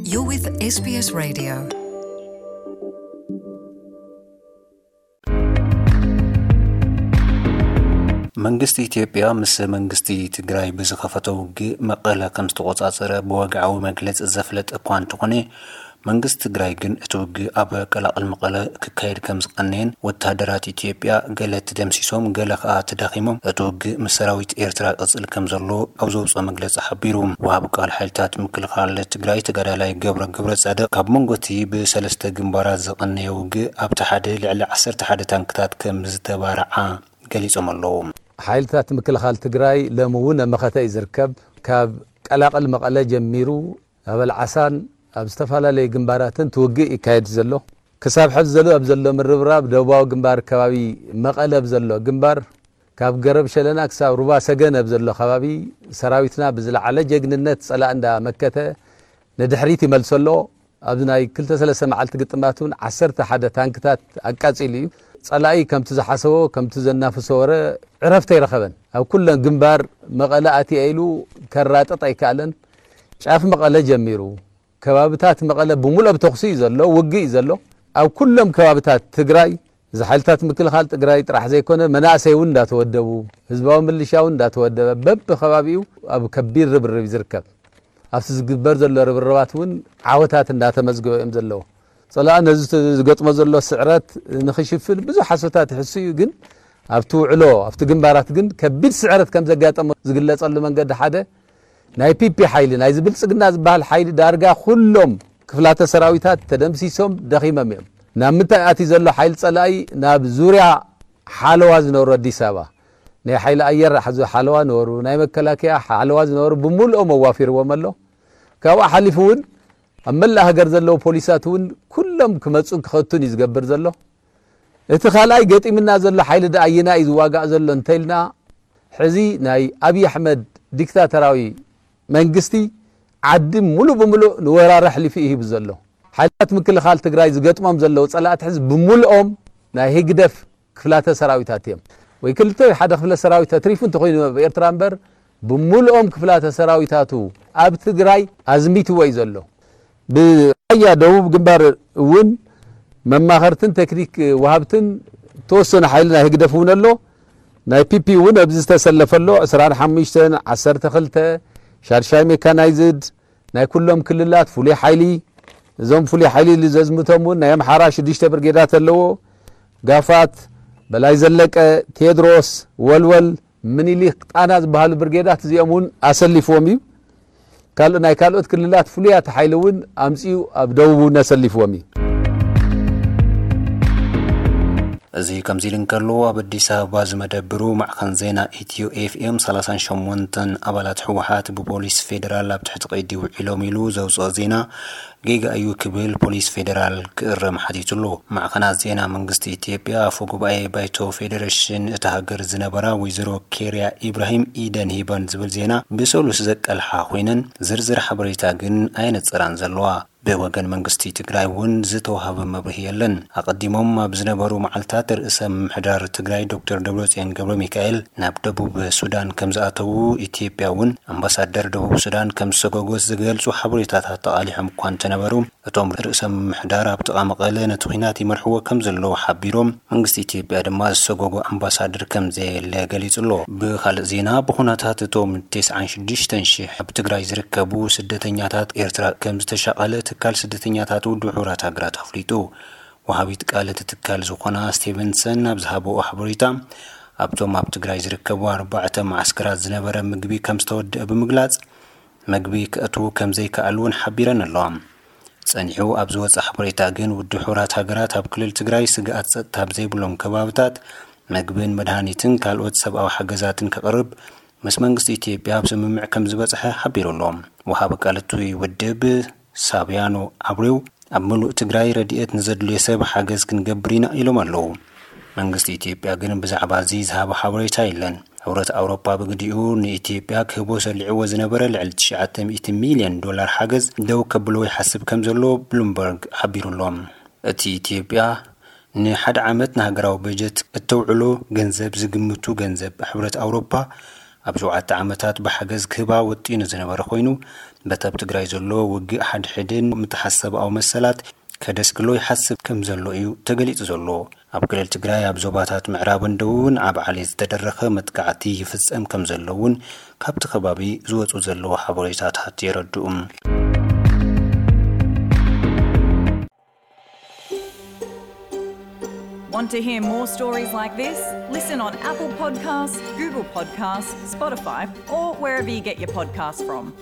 You're with S B S Radio. መንግስቲ ኢትዮጵያ ምስ መንግስቲ ትግራይ ብዝኸፈቶ ውግእ መቐለ ከም ዝተቆጻጸረ ብወግዓዊ መግለጺ ዘፍለጠ እኳ እንተኾነ፣ መንግስቲ ትግራይ ግን እቲ ውግእ ኣብ ቀላቕል መቐለ ክካየድ ከም ዝቐነየን ወተሃደራት ኢትዮጵያ ገለ ተደምሲሶም ገለ ከኣ ተዳኺሞም እቲ ውግእ ምስ ሰራዊት ኤርትራ ቅጽል ከም ዘሎ ኣብ ዘውፅኦ መግለጺ ሓቢሩ። ወሃቢ ቃል ሓይልታት ምክልኻል ትግራይ ተጋዳላይ ገብረ ገብረ ጻድቕ ካብ መንጎ እቲ ብሰለስተ ግንባራት ዝቐነየ ውግእ ኣብቲ ሓደ ልዕሊ ዓሰርተ ሓደ ታንክታት ከም ዝተባርዓ ገሊጾም ኣለዉ። ሓይልታት ምክልኻል ትግራይ ሎሚ እውን ኣብ መኸተ እዩ ዝርከብ። ካብ ቀላቕል መቐለ ጀሚሩ ኣብ ኣልዓሳን ኣብ ዝተፈላለዩ ግንባራትን ትውግእ ይካየድ ዘሎ። ክሳብ ሕዚ ዘሎ ኣብ ዘሎ ምርብራብ ደቡባዊ ግንባር ከባቢ መቐለ ኣብ ዘሎ ግንባር ካብ ገረብ ሸለና ክሳብ ሩባ ሰገን ኣብ ዘሎ ከባቢ ሰራዊትና ብዝለዓለ ጀግንነት ጸላእ እንዳመከተ ንድሕሪት ይመልሶ ኣሎ። ኣብዚ ናይ ክልተ ሰለስተ መዓልቲ ግጥማት እውን ዓሰርተ ሓደ ታንክታት ኣቃጺሉ እዩ። ጸላኢ ከምቲ ዝሓሰቦ ከምቲ ዘናፍሶ ወረ ዕረፍቲ ኣይረኸበን። ኣብ ኩለን ግንባር መቐለ ኣትየ ኢሉ ከራጥጥ ኣይከኣለን። ጫፍ መቐለ ጀሚሩ ከባብታት መቐለ ብምሉእ ኣብ ተኹሲ እዩ ዘሎ፣ ውግእ እዩ ዘሎ። ኣብ ኩሎም ከባብታት ትግራይ እዚ ሓይልታት ምክልኻል ትግራይ ጥራሕ ዘይኮነ መናእሰይ እውን እንዳተወደቡ፣ ህዝባዊ ምልሻ እውን እንዳተወደበ በብከባቢኡ ኣብ ከቢድ ርብርብ እዩ ዝርከብ። ኣብቲ ዝግበር ዘሎ ርብርባት እውን ዓወታት እንዳተመዝገበ እዮም ዘለዉ። ጸላኢ ነዚ ዝገጥሞ ዘሎ ስዕረት ንኽሽፍን ብዙሕ ሓሶታት ይሕሱ እዩ፣ ግን ኣብቲ ውዕሎ ኣብቲ ግንባራት ግን ከቢድ ስዕረት ከም ዘጋጠሞ ዝግለጸሉ መንገዲ ሓደ ናይ ፒፒ ሓይሊ ናይዚ ብልጽግና ዝበሃል ሓይሊ ዳርጋ ኩሎም ክፍላተ ሰራዊታት ተደምሲሶም ደኺሞም እዮም። ናብ ምንታይ ኣትዩ ዘሎ ሓይሊ ጸላኢ ናብ ዙርያ ሓለዋ ዝነበሩ ኣዲስ ኣበባ ናይ ሓይሊ ኣየር ሓዙ ሓለዋ ነበሩ፣ ናይ መከላከያ ሓለዋ ዝነበሩ ብምልኦም ኣዋፊርዎም ኣሎ። ካብኡ ሓሊፉ እውን ኣብ መላእ ሃገር ዘለዉ ፖሊሳት እውን ኩሎም ክመፁን ክኸቱን እዩ ዝገብር ዘሎ። እቲ ካልኣይ ገጢምና ዘሎ ሓይሊ ደኣ ኣየና እዩ ዝዋጋእ ዘሎ እንተኢልና ሕዚ ናይ ኣብይ ኣሕመድ ዲክታተራዊ መንግስቲ ዓዲ ሙሉእ ብምሉእ ንወራሪ ኣሕሊፉ እዩ ሂቡ ዘሎ። ሓይልታት ምክልኻል ትግራይ ዝገጥሞም ዘለዉ ፀላእቲ ሕዚ ብምልኦም ናይ ህግደፍ ክፍላተ ሰራዊታት እዮም። ወይ ክልተ ወይ ሓደ ክፍለ ሰራዊት ተትሪፉ እንተኾይኑ ኣብ ኤርትራ እምበር ብምልኦም ክፍላተ ሰራዊታቱ ኣብ ትግራይ ኣዝሚትዎ እዩ ዘሎ። ብራያ ደቡብ ግንባር እውን መማኸርትን ቴክኒክ ወሃብትን ተወሰነ ሓይሊ ናይ ህግደፍ እውን ኣሎ። ናይ ፒፒ እውን ኣብዚ ዝተሰለፈ ኣሎ። ዕስራን ሓሙሽተን፣ ዓሰርተ ክልተ፣ ሻድሻይ ሜካናይዝድ፣ ናይ ኩሎም ክልላት ፍሉይ ሓይሊ፣ እዞም ፍሉይ ሓይሊ ዘዝምቶም እውን ናይ ኣምሓራ ሽዱሽተ ብርጌዳት ኣለዎ። ጋፋት፣ በላይ ዘለቀ፣ ቴድሮስ፣ ወልወል፣ ምኒሊክ፣ ጣና ዝበሃሉ ብርጌዳት እዚኦም እውን ኣሰሊፍዎም እዩ። ካልእ ናይ ካልኦት ክልላት ፍሉያት ሓይሊ እውን ኣምፅኡ ኣብ ደቡብ እውን ኣሰሊፍዎም እዩ። እዚ ከምዚ ኢሉ እንከሎ ኣብ ኣዲስ ኣበባ ዝመደብሩ ማዕኸን ዜና ኢትዮ ኤፍኤም ሰላሳን ሸሞንተን ኣባላት ህወሓት ብፖሊስ ፌደራል ኣብ ትሕቲ ቀይዲ ውዒሎም ኢሉ ዘውፅኦ ዜና ጌጋ እዩ ክብል ፖሊስ ፌደራል ክእረም ሓቲቱ ኣሎ። ማዕኸናት ዜና መንግስቲ ኢትዮጵያ ኣፈ ጉባኤ ባይቶ ፌዴሬሽን እታ ሃገር ዝነበራ ወይዘሮ ኬርያ ኢብራሂም ኢደን ሂበን ዝብል ዜና ብሰሉስ ዘቀልሓ ኮይነን ዝርዝር ሓበሬታ ግን ኣየነፀራን ዘለዋ። ብወገን መንግስቲ ትግራይ እውን ዝተዋሃበ መብርሂ የለን። ኣቐዲሞም ኣብ ዝነበሩ መዓልታት ርእሰ ምምሕዳር ትግራይ ዶክተር ደብረፅዮን ገብረ ሚካኤል ናብ ደቡብ ሱዳን ከም ዝኣተዉ፣ ኢትዮጵያ እውን ኣምባሳደር ደቡብ ሱዳን ከም ዝሰጎጎት ዝገልፁ ሓበሬታታት ተቓሊሖም እኳ እንተነበሩ፣ እቶም ርእሰ ምምሕዳር ኣብ ጥቓ መቐለ ነቲ ኲናት ይመርሕዎ ከም ዘለዉ ሓቢሮም፣ መንግስቲ ኢትዮጵያ ድማ ዝሰጎጎ ኣምባሳደር ከም ዘየለ ገሊጹ ኣሎ። ብኻልእ ዜና፣ ብኹነታት እቶም ተስዓን ሽዱሽተን ሽሕ ኣብ ትግራይ ዝርከቡ ስደተኛታት ኤርትራ ከም ዝተሻቐለ ትካል ስደተኛታት ውድብ ሕቡራት ሃገራት ኣፍሊጡ። ወሃቢት ቃል እቲ ትካል ዝኾና ስቴቨንሰን ኣብ ዝሃበኦ ሓበሬታ፣ ኣብቶም ኣብ ትግራይ ዝርከቡ ኣርባዕተ መዓስከራት ዝነበረ ምግቢ ከም ዝተወደአ ብምግላጽ፣ መግቢ ከእትዉ ከም ዘይከኣሉ እውን ሓቢረን ኣለዋ። ጸኒሑ ኣብ ዝወጸ ሓበሬታ ግን፣ ውድብ ሕቡራት ሃገራት ኣብ ክልል ትግራይ ስግኣት ጸጥታ ኣብ ዘይብሎም ከባብታት መግብን መድሃኒትን ካልኦት ሰብኣዊ ሓገዛትን ከቕርብ ምስ መንግስቲ ኢትዮጵያ ኣብ ስምምዕ ከም ዝበጽሐ ሓቢሩ ኣሎ። ወሃቢ ቃል እቲ ውድብ ሳብያኖ ኣብሬው፣ ኣብ ምሉእ ትግራይ ረድኤት ንዘድልዮ ሰብ ሓገዝ ክንገብር ኢና ኢሎም ኣለዉ። መንግስቲ ኢትዮጵያ ግን ብዛዕባ እዚ ዝሃቦ ሓበሬታ የለን። ሕብረት ኣውሮፓ ብግዲኡ ንኢትዮጵያ ክህቦ ሰሊዕዎ ዝነበረ ልዕሊ ትሽዓተ ሚእቲ ሚልዮን ዶላር ሓገዝ ደው ከብሎ ይሓስብ ከም ዘሎ ብሉምበርግ ሓቢሩ ኣሎ። እቲ ኢትዮጵያ ንሓደ ዓመት ንሃገራዊ በጀት እተውዕሎ ገንዘብ ዝግምቱ ገንዘብ ሕብረት ኣውሮፓ ኣብ ሸውዓተ ዓመታት ብሓገዝ ክህባ ወጢኑ ዝነበረ ኮይኑ፣ በቲ ኣብ ትግራይ ዘሎ ውግእ ሓድሕድን ምትሓሰብኣዊ መሰላት ከደስግሎ ይሓስብ ከም ዘሎ እዩ ተገሊጹ ዘሎ። ኣብ ክልል ትግራይ ኣብ ዞባታት ምዕራብን ደቡብን ዓብ ዓሊ ዝተደረኸ መጥቃዕቲ ይፍጸም ከም ዘሎ እውን ካብቲ ከባቢ ዝወጹ ዘለዉ ሓበሬታታት የረድኡ። Want to hear more stories like this? Listen on Apple Podcasts, Google Podcasts, Spotify, or wherever you get your podcasts from.